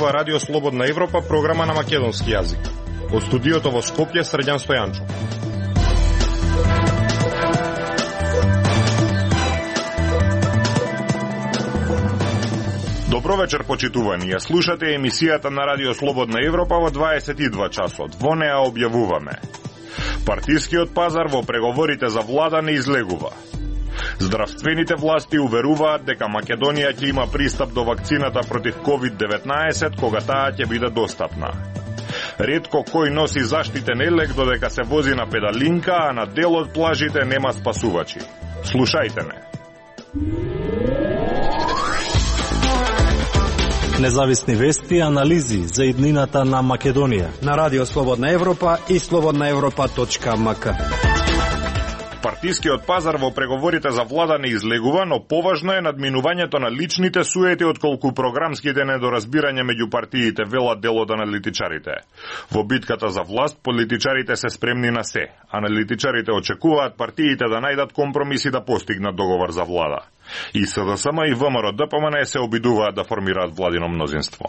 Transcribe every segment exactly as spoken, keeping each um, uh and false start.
зборува Радио Слободна Европа, програма на македонски јазик. Од студиото во Скопје, Срđan Стојанчов. Добро вечер, почитувани. Ја слушате емисијата на Радио Слободна Европа во дваесет и два часот. Во неа објавуваме: партискиот пазар во преговорите за влада не излегува. Здравствените власти уверуваат дека Македонија ќе има пристап до вакцината против ковид деветнаесет кога таа ќе биде достапна. Ретко кој носи заштитен елек додека се вози на педалинка, а на дел од плажите нема спасувачи. Слушајте ме. Независни вести и анализи за иднината на Македонија на Радио Слободна Европа и слободна европа точка ем ка. Партискиот пазар во преговорите за влада не излегува, но поважно е надминувањето на личните суети отколку програмските недоразбирања меѓу партиите, велат дел од аналитичарите. Во битката за власт, политичарите се спремни на се. Аналитичарите очекуваат партиите да најдат компромиси да постигнат договор за влада. И СДСМ и ВМРО-ДПМН се обидуваат да формираат владино мнозинство.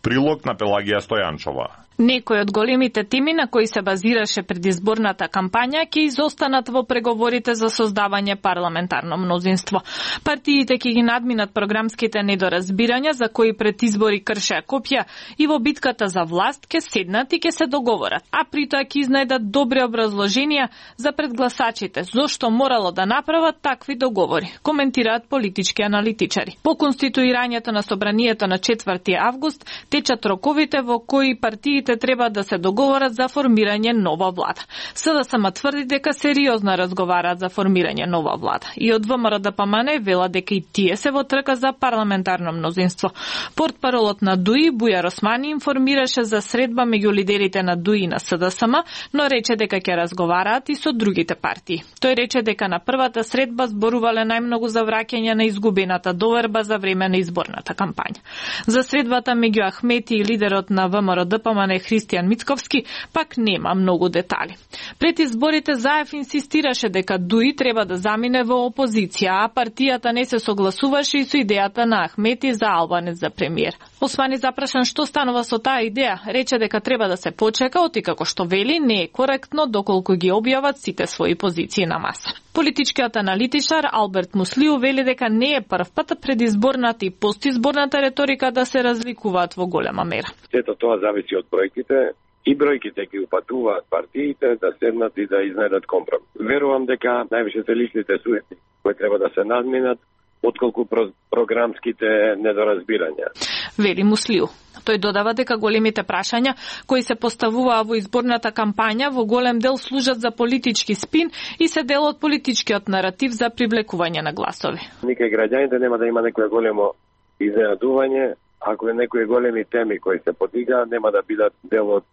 Прилог на Пелагија Стојанчова. Некои од големите теми на кои се базираше предизборната кампања ќе изостанат во преговорите за создавање парламентарно мнозинство. Партиите ќе ги надминат програмските недоразбирања за кои пред избори кршеа копја и во битката за власт ќе седнат и ќе се договорат, а при тоа ќе изнајдат добри образложенија за предгласачите зошто морало да направат такви договори, коментираат политички аналитичари. По конституирањето на собранието на четврти август течат роковите во кои партиите треба да се договорат за формирање нова влада. СДСМ тврди дека сериозно разговараат за формирање нова влада. И од ВМРО-ДПМН вела дека и тие се во трка за парламентарно мнозинство. Портпаролот на ДУИ Бујар Османи информираше за средба меѓу лидерите на ДУИ и на СДСМ, но рече дека ќе разговараат и со другите партии. Тој рече дека на првата средба зборувале најмногу за враќање на изгубената доверба за време на изборната кампања. За средбата меѓу Ахмети и лидерот на ВМРО-ДПМН Христијан Мицковски пак нема многу детали. Пред изборите Заев инсистираше дека ДУИ треба да замине во опозиција, а партијата не се согласуваше и со идејата на Ахмети за Албанец за премиер. Османи запрашан што станува со таа идеја, рече дека треба да се почека, оти како што вели не е коректно доколку ги објават сите своји позиции на маса. Политичкиот аналитичар Алберт Муслиу вели дека не е прв пат предизборната и постизборната реторика да се разликуваат во голема мера. Сето тоа зависи од бројките и бројките ги упатуваат партиите да седнат и да изнајдат компромис. Верувам дека највише се личните суети кои треба да се надминат отколку про програмските недоразбирања. Вели Муслиу. Тој додава дека големите прашања кои се поставуваа во изборната кампања во голем дел служат за политички спин и се дел од политичкиот наратив за привлекување на гласови. Никај граѓаните нема да има некое големо изненадување ако е некои големи теми кои се подигаат, нема да бидат дел од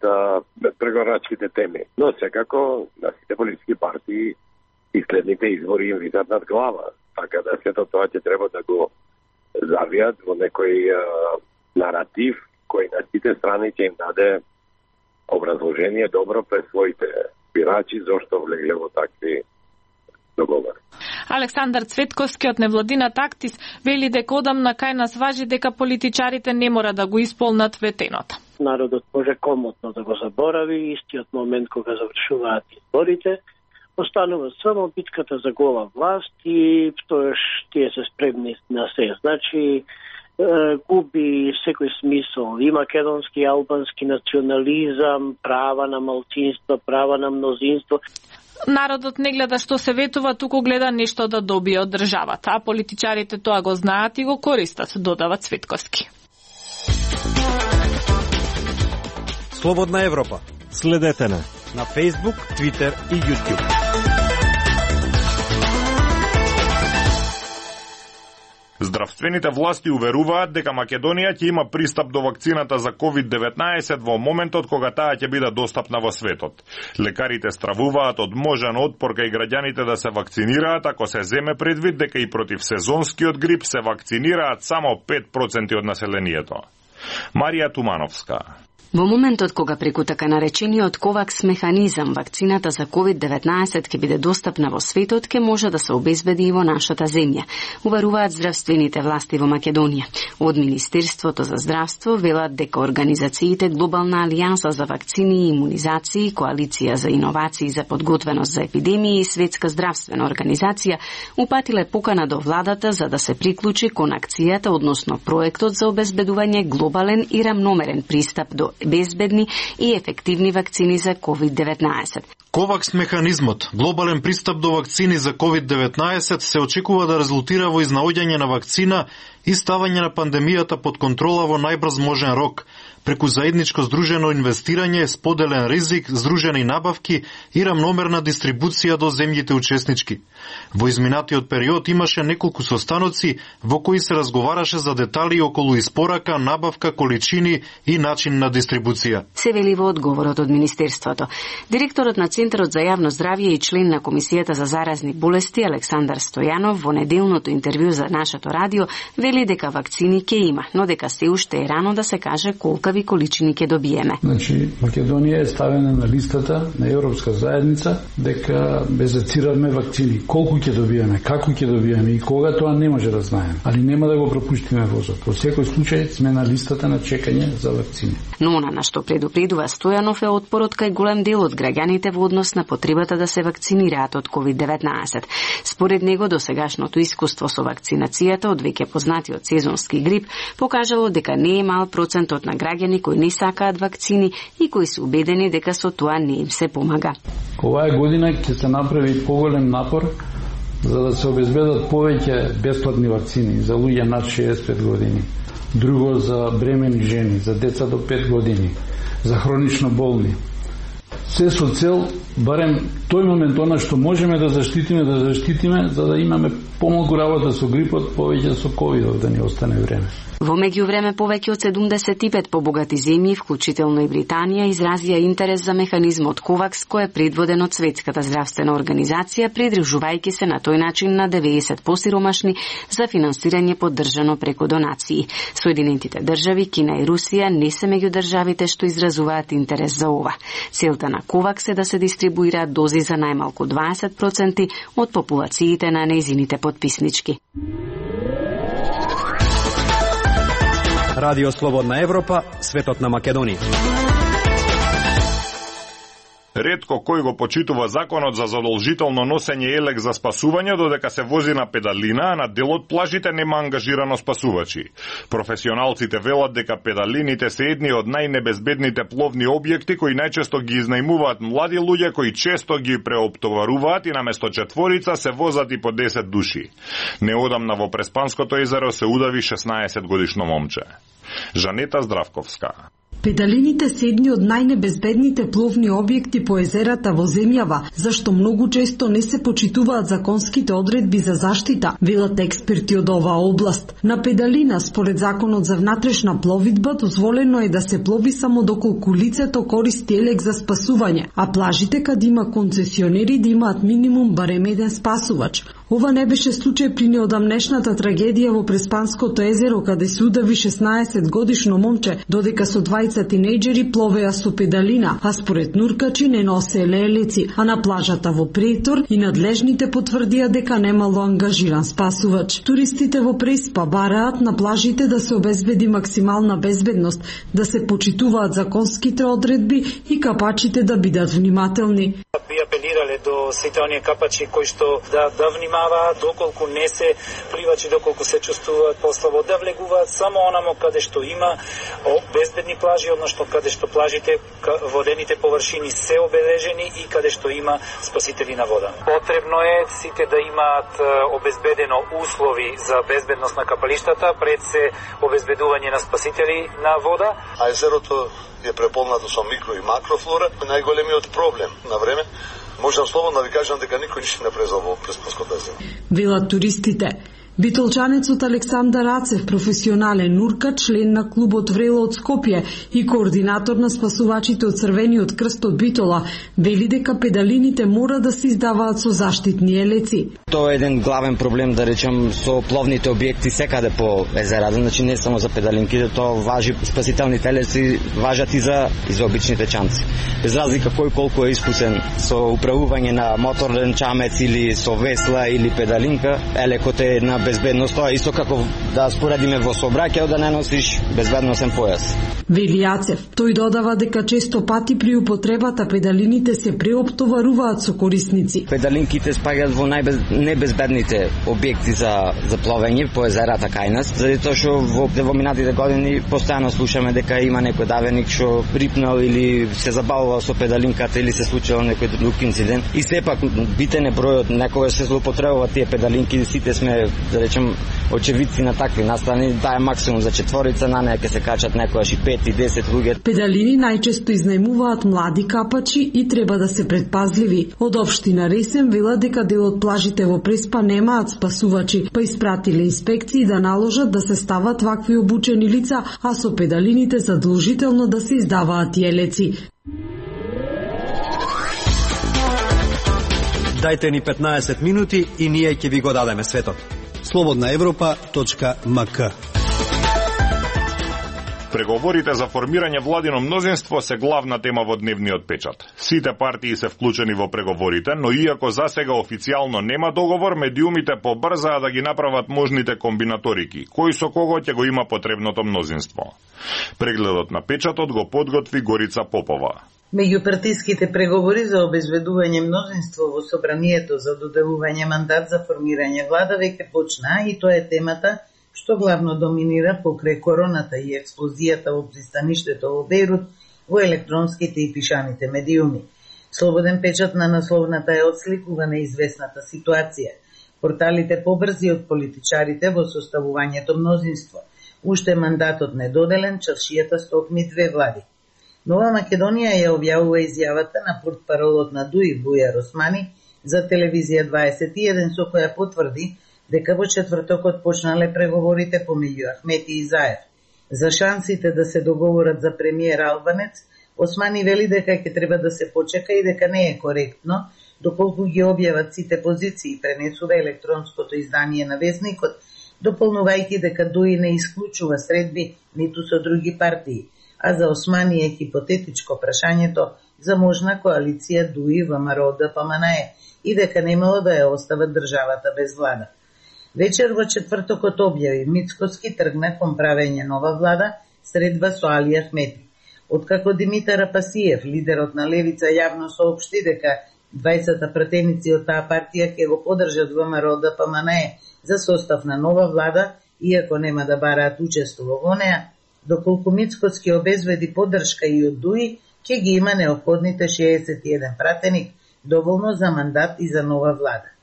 преговорачките теми. Но секако на сите политички партии и следните избори им висат над глава, така да сето тоа ќе треба да го завијат во некој а, наратив кој на сите страни ќе им даде образложение добро пред своите бирачи зошто влегле во такви договори. Александар Цветковски од невладината Актис вели дека одамна кај нас важи дека политичарите не мора да го исполнат ветеното. Народот може комотно да го заборави истиот момент кога завршуваат изборите. Останува само битката за гола власт и тоаш тие се спремни на се. Значи, губи секој смисол и македонски и албански национализам, права на малцинство, права на мнозинство. Народот не гледа што се ветува, туку гледа нешто да добие од државата, а политичарите тоа го знаат и го користат, додава Цветковски. Слободна Европа. Следете на на Facebook, Twitter и YouTube. Здравствените власти уверуваат дека Македонија ќе има пристап до вакцината за ковид деветнаесет во моментот кога таа ќе биде достапна во светот. Лекарите стравуваат од можен отпор кај граѓаните да се вакцинираат ако се земе предвид дека и против сезонскиот грип се вакцинираат само пет проценти од населението. Марија Тумановска. Во моментот кога преку така наречениот ковакс механизам вакцината за ковид деветнаесет ќе биде достапна во светот, ќе може да се обезбеди и во нашата земја, уваруваат здравствените власти во Македонија. Од Министерството за здравство велат дека организациите Глобална алијанса за вакцини и имунизации, Коалиција за иновации за подготвеност за епидемии и Светска здравствена организација упатиле покана до владата за да се приклучи кон акцијата, односно проектот за обезбедување глобален и рамномерен пристап до безбедни и ефективни вакцини за ковид деветнаесет. ковакс механизмот, глобален пристап до вакцини за ковид деветнаесет, се очекува да резултира во изнаоѓање на вакцина и ставање на пандемијата под контрола во најбрз можен рок, преку заедничко здружено инвестирање, споделен ризик, здружени набавки и рамномерна дистрибуција до земјите учеснички. Во изминатиот период имаше неколку состаноци во кои се разговараше за детали околу испорака, набавка, количини и начин на дистрибуција. Се вели во одговорот од Министерството. Директорот на Центарот за јавно здравје и член на Комисијата за заразни болести Александар Стојанов во неделното интервју за нашето радио вели дека вакцини ќе има, но дека се уште е рано да се каже колкави количини ќе добиеме. Значи, Македонија е ставена на листата на Европска заедница дека безацираме вакцини. Колку ќе добиеме, како ќе добиеме и кога, тоа не може да знаеме. Али нема да го пропуштиме возот. Во секој случај сме на листата на чекање за вакцини. Но она на што предупредува Стојанов е отпорот кај голем дел од граѓаните во однос на потребата да се вакцинираат од ковид деветнаесет. Според него, досегашното искуство со вакцинацијата од веќе познатиот сезонски грип покажало дека не е мал процентот на граѓани кои не сакаат вакцини и кои се убедени дека со тоа не им се помага. Оваа година ќе се направи поголем напор за да се обезбедат повеќе бесплатни вакцини за луѓе над шеесет и пет години. Друго за бремени жени, за деца до пет години, за хронично болни. Се со цел, барем тој момент, она што можеме да заштитиме, да заштитиме, за да имаме помалку работа со грипот, повеќе со ковидот, да ни остане време. Во меѓувреме повеќе од седумдесет и пет побогати земји, вклучително и Британија, изразија интерес за механизмот ковакс, кој е предводен од Светската здравствена организација, придружувајќи се на тој начин на деветдесет посиромашни за финансирање поддржано преку донации. Соединетите држави, Кина и Русија не се меѓу државите што изразуваат интерес за ова. Целта на ковакс е да се дистрибуираат дози за најмалку дваесет проценти од популациите на нејзините потписнички. Радио Слободна Европа, светот на Македонија. Ретко кој го почитува законот за задолжително носење елек за спасување, додека се вози на педалина, а на дел од плажите нема ангажирано спасувачи. Професионалците велат дека педалините се едни од најнебезбедните пловни објекти кои најчесто ги изнајмуваат млади луѓе кои често ги преоптоваруваат и наместо четворица се возат и по десет души. Неодамна во Преспанското езеро се удави шеснаесет годишно момче. Жанета Здравковска. Педалините се едни од најнебезбедните пловни објекти по езерата во земјава, зашто многу често не се почитуваат законските одредби за заштита, велат експерти од оваа област. На педалина, според законот за внатрешна пловидба, дозволено е да се плови само доколку лицето користи елек за спасување, а плажите каде има концесионери да имаат минимум барем еден спасувач. Ова не беше случај при неодамнешната трагедија во Преспанското езеро, каде се удави шеснаесет годишно момче, додека со двајца тинејџери пловеа со педалина, а според нуркачи не носеле елеци, а на плажата во Прейтор и надлежните потврдија дека немало ангажиран спасувач. Туристите во Преспа бараат на плажите да се обезбеди максимална безбедност, да се почитуваат законските одредби и капачите да бидат внимателни. Би апелирале до сите оние капачи кои што да да внимаваат доколку не се пливачи, доколку се чувствуваат послабо, да влегуваат само онамо каде што има безбедни плажи, односно каде што плажите, водените површини се обележени и каде што има спасители на вода. Потребно е сите да имаат обезбедено услови за безбедност на капалиштата пред се обезбедување на спасители на вода. А езерото е преполнато со микро и макрофлора. Најголемиот проблем на време, можам слободно да ви кажам дека никој ништо не презал во Преспанското езеро. Велат туристите. Битолчанецот Александар Рацев, професионален нуркач, член на клубот Врело од Скопје и координатор на спасувачите од Црвениот крст од Битола, вели дека педалините мора да се издаваат со заштитни елеци. Тоа е еден главен проблем, да речем, со пловните објекти секаде по езерата, значи не само за педалинките, тоа важи, спасителните елеци важат и за, и за обичните чамци. Без разлика кој колку е искусен со управување на моторен чамец или со весла или педалинка, елекот е на безбедност, тоа е исто како да споредиме во сообраќајот да не носиш безбедносен појас. Вели Јацев, тој додава дека често пати при употребата педалините се преоптоваруваат со корисници. Педалинките спаѓаат во најнебезбедните објекти за за пловење по езерата кај нас, заради тоа што во, во минатите години постојано слушаме дека има некој давеник што рипнал или се забавувал со педалинката или се случило некој друг инцидент. И сепак битен е бројот, некогаш се злоупотребуваат тие педалинки, сите сме, да речем, очевидци на такви настани, таа е максимум за четворица, на неја ќе се качат некојаш и пет и десет луѓе. Педалини најчесто изнајмуваат млади капачи и треба да се предпазливи. Од општина Ресен велат дека дел од плажите во Преспа немаат спасувачи, па испратиле инспекции да наложат да се стават вакви обучени лица, а со педалините задолжително да се издаваат јелеци. Дајте ни петнаесет минути и ние ќе ви го дадеме светот. слободна европа точка ем ка. Преговорите за формирање владино мнозинство се главна тема во дневниот печат. Сите партии се вклучени во преговорите, но иако засега официјално нема договор, медиумите побрзаа да ги направат можните комбинаторики, кој со кого ќе го има потребното мнозинство. Прегледот на печатот го подготви Горица Попова. Меѓупартиските преговори за обезбедување мнозинство во собранието за доделување мандат за формирање влада веќе почнаа и тоа е темата што главно доминира покрај короната и експлозијата во пристаништето во Бејрут во електронските и пишаните медиуми. Слободен печат на насловната е отсликува неизвестната ситуација. Порталите побрзи од политичарите во составувањето мнозинство. Уште мандатот недоделен, чаршијата стокми две влади. Нова Македонија ја објавува изјавата на портпаролот на ДУИ Бујар Османи за телевизија дваесет и еден со која потврди дека во четвртокот почнале преговорите помеѓу Ахмети и Заев. За шансите да се договорат за премиер Албанец, Османи вели дека ќе треба да се почека и дека не е коректно, доколку ги објават сите позиции, пренесува електронското издание на Весникот, дополнувајќи дека ДУИ не исклучува средби ниту со други партии, а за Османи е хипотетичко прашањето за можна коалиција ДУИ ВМРО Д П М Н Е и дека немало да ја остават државата без влада. Вечер во четвртокот објави Мицкоски тргна кон правење нова влада, средба со Али Ахмети. Откако Димитар Апасиев, лидерот на Левица, јавно соопшти дека дваесет пратеници од таа партија ќе го поддржат ВМРО Д П М Н Е за состав на нова влада, иако нема да бараат учество во неа, доколку Мицкоски обезбеди поддршка и од ДУИ, ќе ги има неопходните шеесет и еден пратеник, доволно за мандат и за нова влада.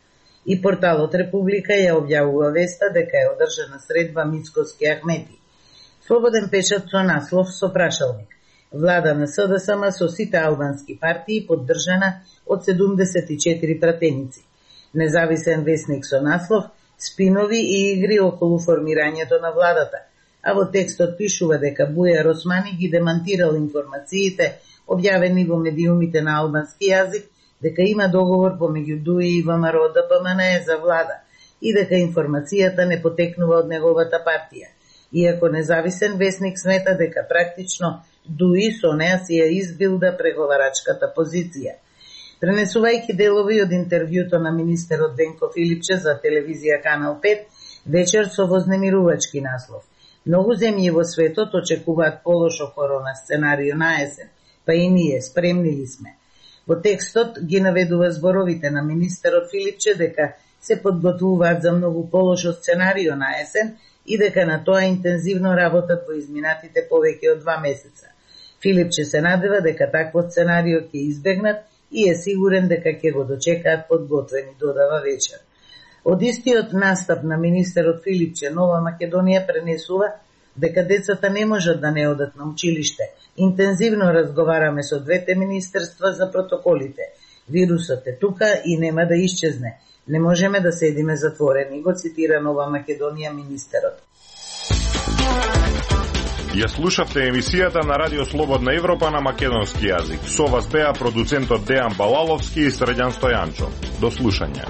И порталот Република ја објавува веста дека е одржана средба Мицкоски Ахмети. Слободен печат со наслов со прашалник. Влада на С Д С М со сите албански партии поддржана од седумдесет и четири пратеници. Независен весник со наслов спинови и игри околу формирањето на владата, а во текстот пишува дека Бујар Османи ги демантирал информациите објавени во медиумите на албански јазик, дека има договор помеѓу ДУИ и ВМРО Д П М Н Е за влада и дека информацијата не потекнува од неговата партија. Иако независен весник смета дека практично ДУИ со неа си ја избилда преговарачката позиција. Пренесувајќи делови од интервјуто на министерот Венко Филипче за телевизија Канал пет, вечер со вознемирувачки наслов. Многу земји во светот очекуваат полошо корона сценарио на есен, па и ние спремни ли сме. Во текстот ги наведува зборовите на министерот Филипче дека се подготвуваат за многу полошо сценарио на есен и дека на тоа интензивно работат во изминатите повеќе од два месеца. Филипче се надева дека такво сценарио ќе избегнат и е сигурен дека ќе го дочекаат подготвени, додава вечер. Од истиот настап на министерот Филипче, Нова Македонија пренесува дека децата не можат да не одат на училиште. Интензивно разговараме со двете министерства за протоколите. Вирусот е тука и нема да исчезне. Не можеме да седиме затворени, го цитира Нова Македонија министерот. Ја слушавте емисијата на Радио Слободна Европа на македонски јазик. Со вас беа продуцентот Дејан Балаловски и Средјан Стојанчо. До слушање.